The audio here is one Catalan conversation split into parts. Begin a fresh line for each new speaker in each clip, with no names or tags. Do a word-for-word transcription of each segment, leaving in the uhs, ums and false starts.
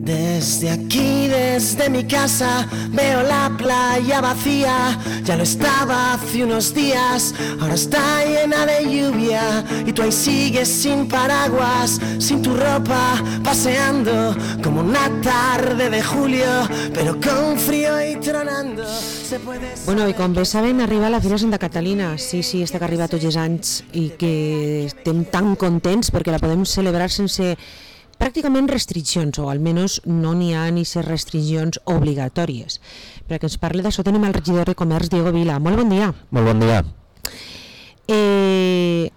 Desde aquí, desde mi casa, veo la playa vacía. Ya lo estaba hace unos días, ahora está llena de lluvia. Y tú ahí sigues sin paraguas, sin tu ropa, paseando como una tarde de julio, pero con frío y tronando. Se puede
Bueno, i com bé saben, arriba la Fira Santa Catalina. Sí, sí, està que arriba tots els anys i que estem tan contents perquè la podem celebrar sense pràcticament restriccions, o almenys no n'hi ha ni ser restriccions obligatòries. Per a que ens parli d'això tenim el regidor de Comerç, Diego Vila. Molt bon dia.
Molt bon dia.
Eh,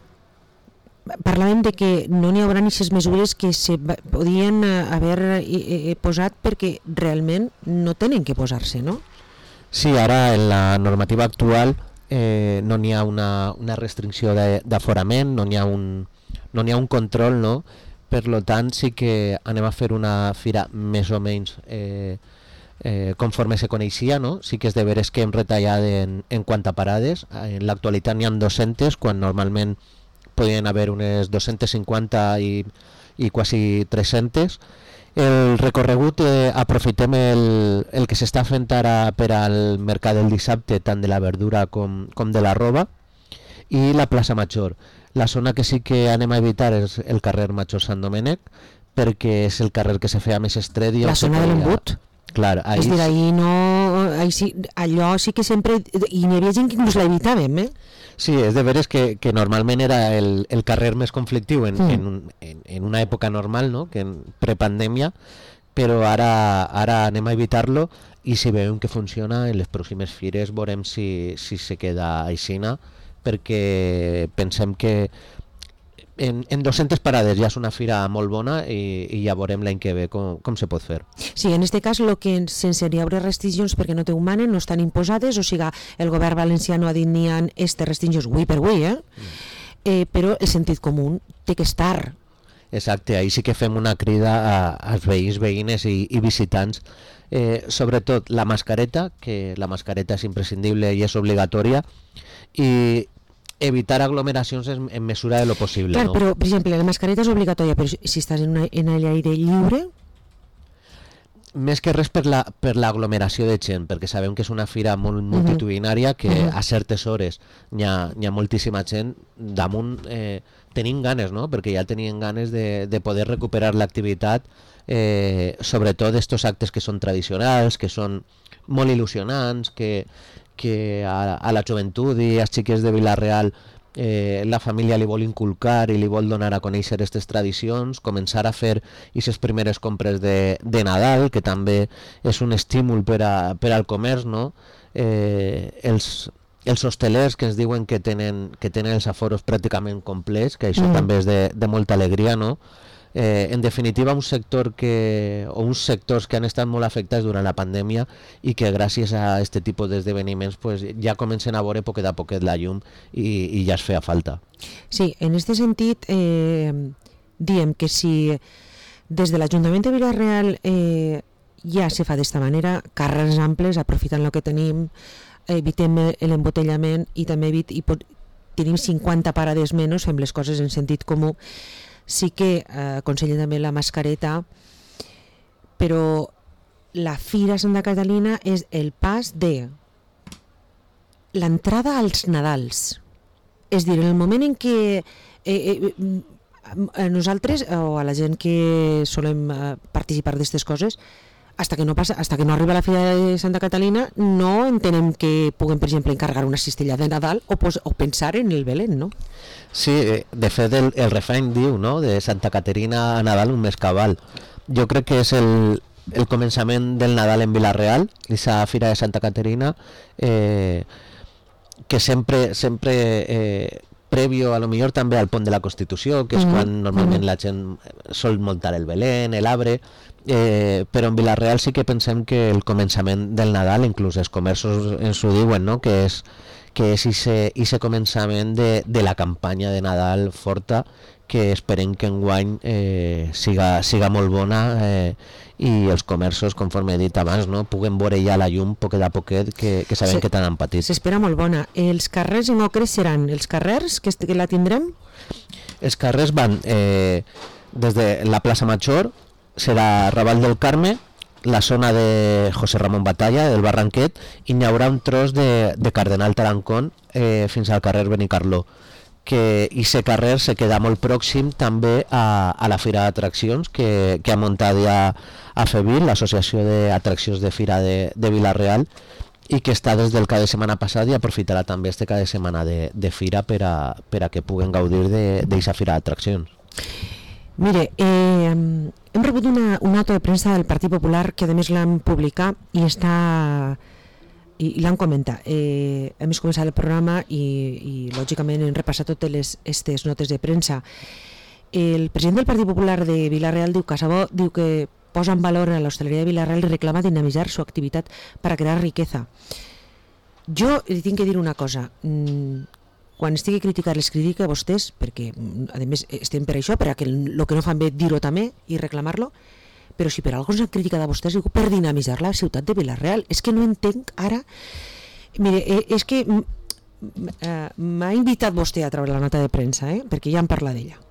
parlàvem de que no n'hi haurà ni aquestes mesures que se podien haver eh, posat perquè realment no tenen que posar-se, no?
Sí, ara en la normativa actual eh, no n'hi ha una, una restricció d'aforament, no n'hi ha un, no n'hi ha un control, no? Per lo tant, sí que anem a fer una fira més o menys eh, eh, conforme se coneixia, no? Sí que és de veres que hem retallat en, en quant a parades. En l'actualitat n'hi ha dos-centes, quan normalment podien haver unes dos-centes cinquanta i, i quasi tres-centes. El recorregut, eh, aprofitem el, el que s'està fent ara per al mercat del dissabte, tant de la verdura com, com de la roba, i la plaça Major. La zona que sí que anem a evitar és el carrer Major Sant Domènec, perquè és el carrer que se feia més estret.
La zona de l'embut?
Clar, ahí...
És dir, ahí no... Ahí sí, allò sí que sempre... I n'hi havia gent que inclús l'evitàvem, eh?
Sí, és de veres que, que normalment era el, el carrer més conflictiu en, mm. en, en, en una època normal, no? Que en prepandèmia, però ara, ara anem a evitar-lo, i si veiem que funciona, en les pròximes fires veurem si, si se queda aixina, perquè pensem que en, en dos-centes parades ja és una fira molt bona i, i ja veurem l'any que ve com, com se pot fer.
Sí, en aquest cas, lo que sense hi haurà restriccions perquè no te ho manen, no estan imposades, o sigui, el govern valencià no ha dit ni ha aquestes restriccions avui per avui, eh? Mm. eh? Però el sentit comú té que estar.
Exacte, ahí sí que fem una crida a, als veïns, veïnes i, i visitants, eh, sobretot la mascareta, que la mascareta és imprescindible i és obligatòria, i evitar aglomeracions en, en mesura de lo possible.
Clar,
no?
Però, per exemple, la mascareta és obligatòria, però si estàs en, una, en l'aire lliure...
Més que res per la, per l'aglomeració de gent, perquè sabem que és una fira molt multitudinària, que uh-huh. a certes hores n'hi ha, n'hi ha moltíssima gent damunt, eh, tenim ganes, no? Perquè ja tenien ganes de, de poder recuperar l'activitat, eh, sobretot d'estos actes que són tradicionals, que són molt il·lusionants, que, que a, a la joventut i als xiquets de Vila-real eh, la família li vol inculcar i li vol donar a conèixer aquestes tradicions, començar a fer aquestes primeres compres de, de Nadal, que també és un estímul per, a, per al comerç, no? Eh, els, els hostelers que ens diuen que tenen, que tenen els aforos pràcticament complets, que això mm. també és de, de molta alegria, no? Eh, en definitiva, un sector que, o uns sectors que han estat molt afectats durant la pandèmia i que gràcies a aquest tipus d'esdeveniments pues, ja comencen a veure poquet a poquet la llum i, i ja es feia falta.
Sí, en aquest sentit, eh, diem que si des de l'Ajuntament de Vila-real eh, ja se fa d'esta manera, carrers amples, aprofitant el que tenim, evitem l'embotellament i també evit, i pot, tenim cinquanta parades menys, fem les coses en sentit comú. Sí que eh, aconsellen també la mascareta, però la Fira Santa Catalina és el pas de l'entrada als Nadals. És dir, en el moment en què eh, eh, a nosaltres, o a la gent que solem eh, participar d'aquestes coses, hasta que no passa, hasta que no arriba la Fira de Santa Catalina, no entenem que puguem, per exemple, encarregar una cistella de Nadal o, pos, o pensar en el Belén, no?
Sí, de fet el, el refrany diu, no?, de Santa Caterina a Nadal un mes cabal. Jo crec que és el, el començament del Nadal en Vila-real, aquesta Fira de Santa Caterina, eh, que sempre, sempre eh, prèvio, a lo millor també al pont de la Constitució, que és mm-hmm. quan normalment mm-hmm. la gent sol muntar el Belén, l'arbre, eh, però en Vila-real sí que pensem que el començament del Nadal, inclús els comerços ens ho diuen, no?, que és que és aquest començament de, de la campanya de Nadal forta, que esperem que enguany eh, siga, siga molt bona eh, i els comerços, conforme he dit abans, no, puguen veure ja la llum poquet a poquet, que, que sabem Se, que tant han patit.
S'espera molt bona. Els carrers en ocre seran els carrers que, que la tindrem?
Els carrers van eh, des de la plaça Major, serà Raval del Carme, la zona de José Ramón Batalla, del Barranquet, i n'hi haurà un tros de, de Cardenal Tarancón eh, fins al carrer Benicarló, que i aquest carrer se queda molt pròxim també a, a la Fira d'Atraccions que, que ha muntat ja a FEVIL, l'Associació d'Atraccions de Fira de, de Vila-real, i que està des del cada de setmana passat i aprofitarà també este cada de setmana de, de Fira per a, per a que puguen gaudir d'aquesta Fira d'Atraccions.
Mire, eh, hem rebut una, una nota de premsa del Partit Popular que a més l'han publicat i està i, i l'han comentat. Eh, hem començat el programa i, i lògicament hem repassat totes les estes notes de premsa. El president del Partit Popular de Vila-real diu Casabó diu que posa en valor a l'hostaleria de Vila-real i reclama dinamitzar su activitat para crear riqueza. Jo li tinc que dir una cosa. Quan estigui a criticar les critica a vostès, perquè a més estem per això, per a que el que no fan bé dir-ho també i reclamar-lo, però si per alguna cosa criticat a vostès, diu per dinamitzar la ciutat de Vila-real. És que no entenc ara... Mire, és que m'ha invitat vostè a treure la nota de premsa, eh? Perquè ja en parla d'ella.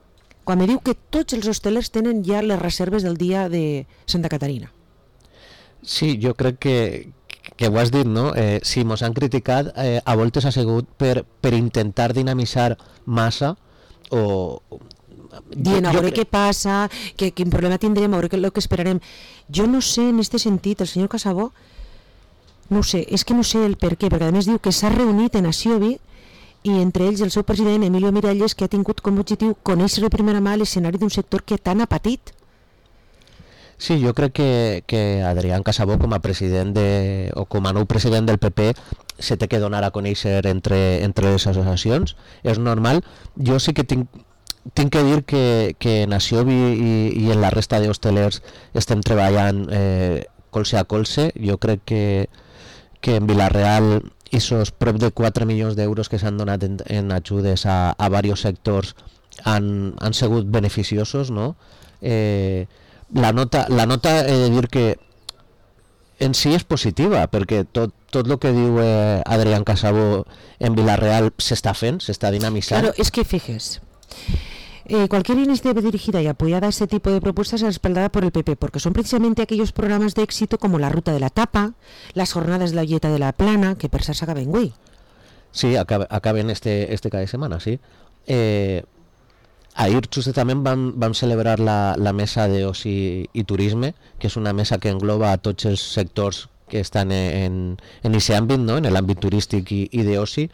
Quan me diu que tots els hostelers tenen ja les reserves del dia de Santa Caterina.
Sí, jo crec que, que ho has dit, no? Eh, si mos han criticat, eh, a voltes ha sigut per, per intentar dinamitzar massa o...
Dient, a veure què passa, que, quin problema tindrem, a veure què, que esperarem. Jo no sé, en aquest sentit, el senyor Casabó, no sé, és que no sé el per què, perquè a més diu que s'ha reunit en Asiobi i entre ells el seu president Emilio Miralles, que ha tingut com a objectiu conèixer de primera mà l'escenari d'un sector que tant ha patit.
Sí, jo crec que, que Adrián Casabó com a president de, o com a nou president del P P se té que donar a conèixer entre, entre les associacions, és normal. Jo sí que tinc, tinc que dir que, que en Asiobi i, i en la resta d'hostelers estem treballant eh, colze a colze. Jo crec que, que en Vila-real esos prop de quatre milions d'euros que s'han donat en, en ajudes a, a diversos sectors han, han sigut beneficiosos, no? Eh, la nota, la nota he de dir que en si és positiva, perquè tot, tot el que diu eh, Adrián Casabó en Vila-real s'està fent, s'està dinamitzant.
Claro, es que fijes, Eh, cualquier iniciativa dirigida y apoyada a ese tipo de propuestas es respaldada por el P P, porque son precisamente aquellos programas de éxito como la Ruta de la Tapa, las jornadas de la Olleta de la Plana, que per s'acaben acaben güey.
Sí, acaben este, este cada setmana, sí. Eh, ahir justament vam, vam celebrar la, la mesa d'oci i turisme, que és una mesa que engloba a tots els sectors que estan en aquest àmbit, no? En l'àmbit turístic i, i d'oci.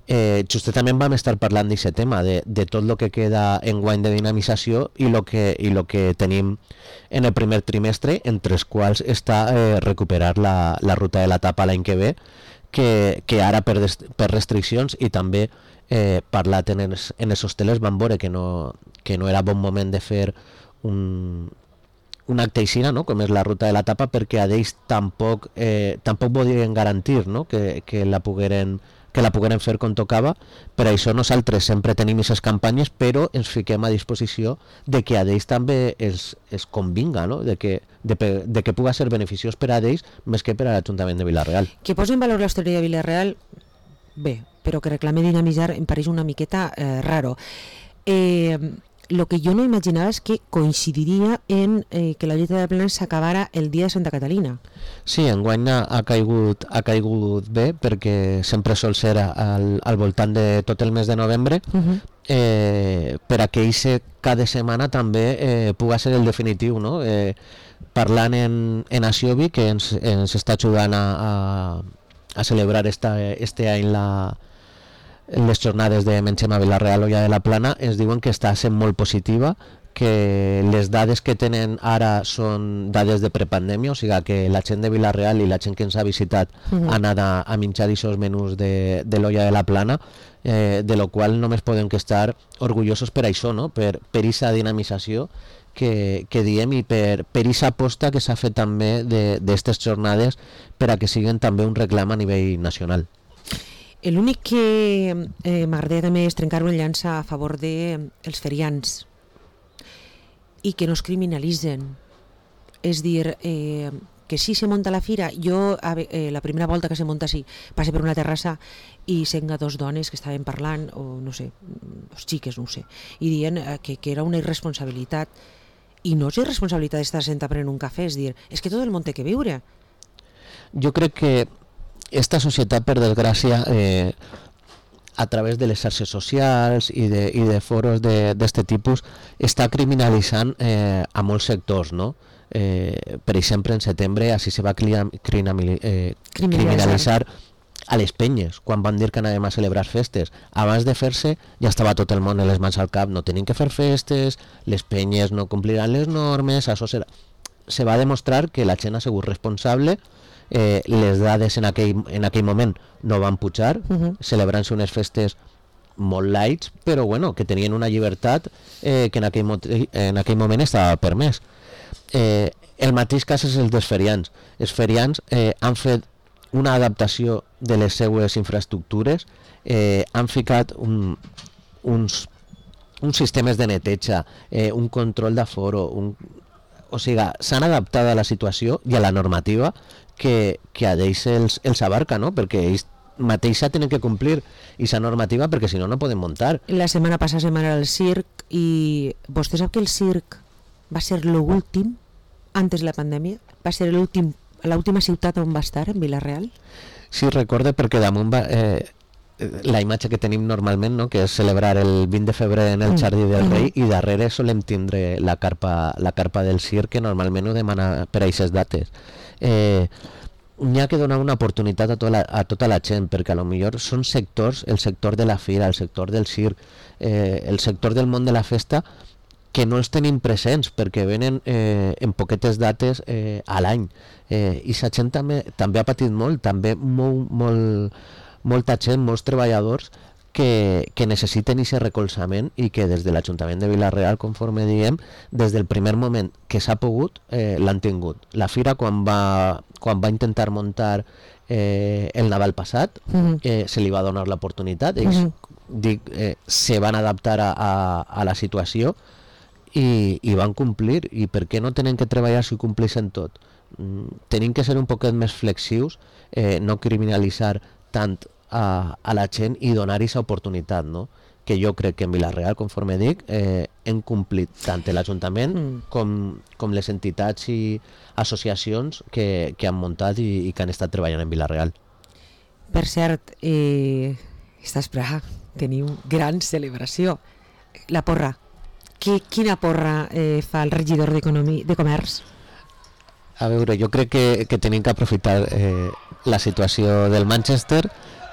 Eh, justament vam estar parlant d'aquest tema, de, de tot el que queda en guany de dinamització i el que, i lo que tenim en el primer trimestre, entre els quals està eh, recuperar la, la Ruta de la Tapa l'any que ve, que, que ara per, des, per restriccions i també eh, parlat en els, en els hostelers van veure que no, que no era bon moment de fer un, un acte aixina, no? Com és la Ruta de la Tapa, perquè a d'ells tampoc, eh, tampoc podien garantir, no? que, que la pogueren que la pogueren fer com tocava. Per això nosaltres sempre tenim aquestes campanyes, però ens fiquem a disposició de que a d'ells també els, els convinga, no? de, que, de, de que puga ser beneficiós per a d'ells més que per a l'Ajuntament de Vila-real.
Que posi en valor l'hostaleria de Vila-real, bé, però que reclame dinamitzar em pareix una miqueta eh, raro. Eh, lo que jo no imaginava és que coincidiria en eh, que la Olleta de la Plana s'acabara el dia de Santa Catalina.
Sí, enguany ha, ha, caigut, ha caigut bé, perquè sempre sol ser al, al voltant de tot el mes de novembre, uh-huh. eh, per a que eixe cada setmana també eh, puga ser el definitiu, no? Eh, parlant en, en Asiobi, que ens, ens està ajudant a, a, a celebrar esta, este any la les jornades de Mengem a Vila-real Olla de la Plana, ens diuen que està sent molt positiva, que les dades que tenen ara són dades de prepandèmia, o sigui que la gent de Vila-real i la gent que ens ha visitat uh-huh. ha anat a, a menjar aquests menús de, de l'Olla de la Plana, eh, de lo qual només podem que estar orgullosos per això, no? per, per aquesta dinamització que, que diem i per aquesta aposta que s'ha fet també d'aquestes jornades per a que siguin també un reclam a nivell nacional.
L'únic que eh, m'agradaria també és trencar una llança a favor dels de, eh, ferians i que no es criminalitzen. És dir, eh, que si se munta la fira, jo eh, la primera volta que se munta així, passe per una terrassa i senga dos dones que estaven parlant, o no sé, dos xiques, no ho sé, i dient eh, que, que era una irresponsabilitat i no és irresponsabilitat d'estar sentat prenent un cafè, és dir, és que tot el món té que viure.
Jo crec que esta societat, per desgràcia, eh, a través de les xarxes socials i de, i de foros d'aquest tipus, està criminalitzant eh, a molts sectors, no? Eh, per exemple, en setembre així se va criminalitzar, eh, criminalitzar a les penyes, quan van dir que anàvem a celebrar festes. Abans de fer-se ja estava tot el món en les mans al cap, no tenim que fer festes, les penyes no compliran les normes, això serà... Se va demostrar que la gent ha sigut responsable, eh, les dades en aquell, en aquell moment no van pujar, uh-huh. celebrant-se unes festes molt lights, però bueno, que tenien una llibertat eh, que en aquell, en aquell moment estava permès. Eh, el mateix cas és el dels ferians. Els ferians eh, han fet una adaptació de les seues infraestructures, eh, han ficat un, uns, uns sistemes de neteja, eh, un control d'aforo, un... o sigui, s'han adaptat a la situació i a la normativa que, que a ells els, els abarca, no? Perquè ells mateixa tenen que complir aquesta normativa perquè si no no poden muntar.
La setmana passada se'n va anar al circ i vostè sap que el circ va ser l'últim antes de la pandèmia? Va ser l'últim, l'última ciutat on va estar, en Vila-real?
Sí, recorde perquè damunt va... Eh, la imatge que tenim normalment, no? Que és celebrar el vint de febrer en el Jardí del Rei, mm-hmm. i darrere solem tindre la carpa, la carpa del circ, que normalment ho demana per a aquestes dates. Eh, n'hi ha que donar una oportunitat a tota la, a tota la gent, perquè a lo millor són sectors, el sector de la fira, el sector del circ, eh, el sector del món de la festa, que no els tenim presents perquè venen eh, en poquetes dates eh, a l'any, eh, i la gent també, també ha patit molt, també molt, molt molta gent, molts treballadors que, que necessiten aquest recolzament i que des de l'Ajuntament de Vila-real, conforme diem, des del primer moment que s'ha pogut, eh, l'han tingut. La fira, quan va, quan va intentar muntar eh, el Nadal passat, uh-huh. eh, se li va donar l'oportunitat, ells uh-huh. dic, eh, se van adaptar a, a, a la situació i, i van complir. I per què no tenen que treballar si compleixen tot? Mm, tenim que ser un poquet més flexius, eh, no criminalitzar tant a, a la gent i donar aquesta oportunitat, no? Que jo crec que en Vila-real, conforme dic, eh, hem complit tant l'Ajuntament mm. com, com les entitats i associacions que, que han muntat i, i que han estat treballant en Vila-real.
Per cert, eh, estàs Praga, teniu gran celebració. La porra. Qui, quina porra eh, fa el regidor d'Economia, de Comerç?
A veure, jo crec que, que tenim que aprofitar eh, la situació del Manchester.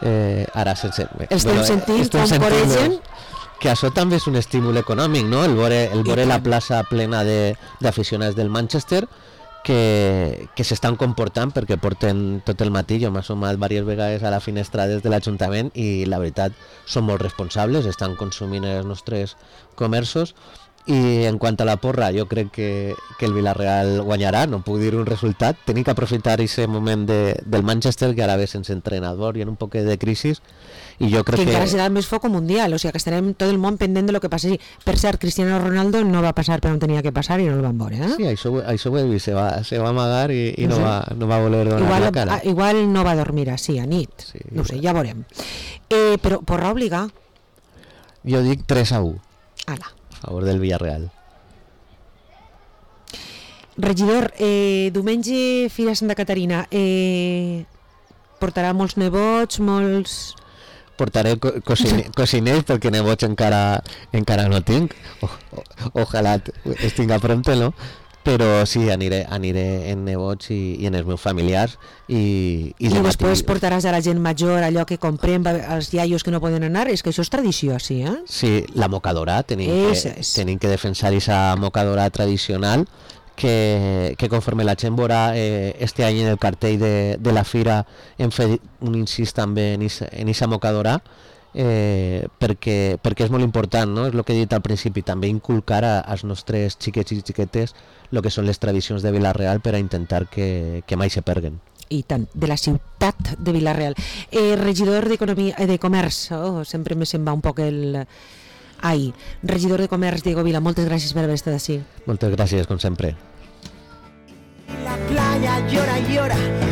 Eh, ara sense...
Estem bueno, sentint com coregen?
Que això també és un estímul econòmic, no? El veure, el veure la plaça plena d'aficionats de, del Manchester que, que s'estan comportant perquè porten tot el matí. Jo m'he sumat diverses vegades a la finestra des de l'Ajuntament i la veritat són molt responsables, estan consumint els nostres comerços. I en quant a la porra, jo crec que, que el Vila-real guanyarà, no puc dir un resultat. Tenim que aprofitar aquest moment de, del Manchester, que ara ve sense entrenador i en un poc de crisi, i jo crec que...
Que encara serà més foc mundial, o sigui que estarem tot el món pendent de lo que passi. Per cert, Cristiano Ronaldo no va passar per on tenia que passar i no el van veure, eh?
Sí, això, això ho he vist, se va, se va amagar i, i no, no, sé. va, no va voler donar
igual,
la cara.
Igual no va dormir així a nit, sí, no sé, ja veurem. Eh, però porra obligar?
Jo dic tres a u.
Ala.
A favor del Villarreal.
Regidor, eh, diumenge Fira Santa Caterina, eh, portarà molts nebots, molts...
Portaré co cocine cociners perquè nebots encara encara no tinc. O ojalà es tinga pronto, no? Però sí, aniré, aniré en nebots i, i en els meus familiars i, i,
I
de
després
matí...
portaràs a la gent major allò que comprem als iaios que no poden anar. És que això és tradició, sí, eh?
Sí, la mocadora, tenim, que, tenim que defensar aquesta mocadora tradicional que, que conforme la gent veurà eh, este any en el cartell de, de la fira hem fet un incís també en aquesta mocadora. Eh, perquè, perquè és molt important, no? És el que he dit al principi, també inculcar a, als nostres xiquets i xiquetes el que són les tradicions de Vila-real per a intentar que, que mai se perguen.
I tant, de la ciutat de Vila-real. Eh, regidor d'Economia, eh, de Comerç, oh, sempre me se'n va un poc el... Ai, regidor de Comerç, Diego Vila, moltes gràcies per haver estat així.
Moltes gràcies, com sempre.
La playa llora y llora